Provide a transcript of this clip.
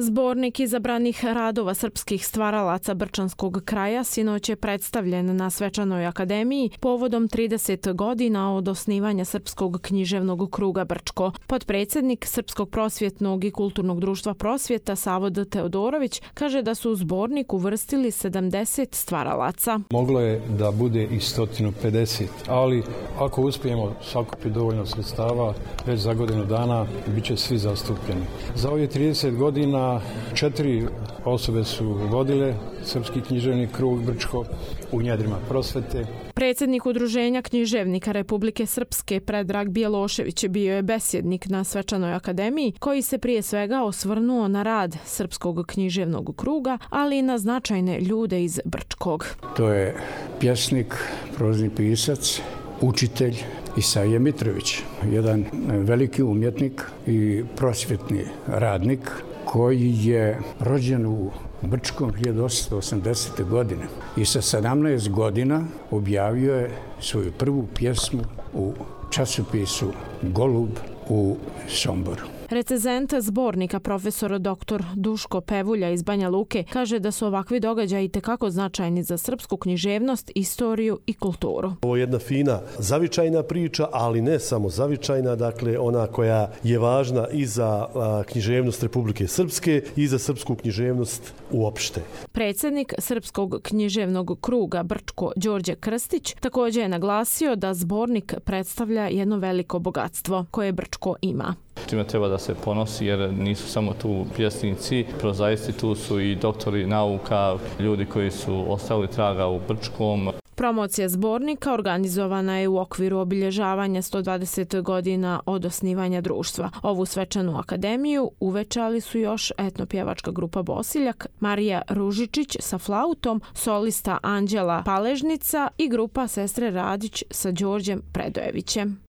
Zbornik izabranih radova srpskih stvaralaca Brčanskog kraja sinoć je predstavljen na Svečanoj akademiji povodom 30 godina od osnivanja Srpskog književnog kruga Brčko. Potpredsjednik Srpskog prosvjetnog i kulturnog društva Prosvjeta Savod Teodorović kaže da su u zbornik uvrstili 70 stvaralaca. Moglo je da bude i 150, ali ako uspijemo sakupiti dovoljno sredstava, već za godinu dana bit će svi zastupljeni. Za ovih 30 godina 4 osobe su vodile Srpski književni krug Brčko u njedrima prosvete. Predsjednik Udruženja književnika Republike Srpske Predrag Bjelošević bio je besjednik na Svečanoj akademiji koji se prije svega osvrnuo na rad Srpskog književnog kruga, ali i na značajne ljude iz Brčkog. To je pjesnik, prozni pisac, učitelj Isaije Mitrović, jedan veliki umjetnik i prosvjetni radnik koji je rođen u Brčkom 1880. godine i sa 17 godina objavio je svoju prvu pjesmu u časopisu Golub u Somboru. Recenzent zbornika profesor dr. Duško Pevulja iz Banja Luke kaže da su ovakvi događaji itekako značajni za srpsku književnost, istoriju i kulturu. Ovo je jedna fina zavičajna priča, ali ne samo zavičajna, dakle ona koja je važna i za književnost Republike Srpske i za srpsku književnost uopšte. Predsjednik Srpskog književnog kruga Brčko Đorđe Krstić također je naglasio da zbornik predstavlja jedno veliko bogatstvo koje Brčko ima. Čime treba da se ponosi jer nisu samo tu pjesnici, prozaisti, tu su i doktori nauka, ljudi koji su ostavili traga u Brčkom. Promocija zbornika organizovana je u okviru obilježavanja 120 godina od osnivanja društva. Ovu svečanu akademiju uvečali su još etnopjevačka grupa Bosiljak, Marija Ružičić sa flautom, solista Anđela Paležnica i grupa Sestre Radić sa Đorđem Predojevićem.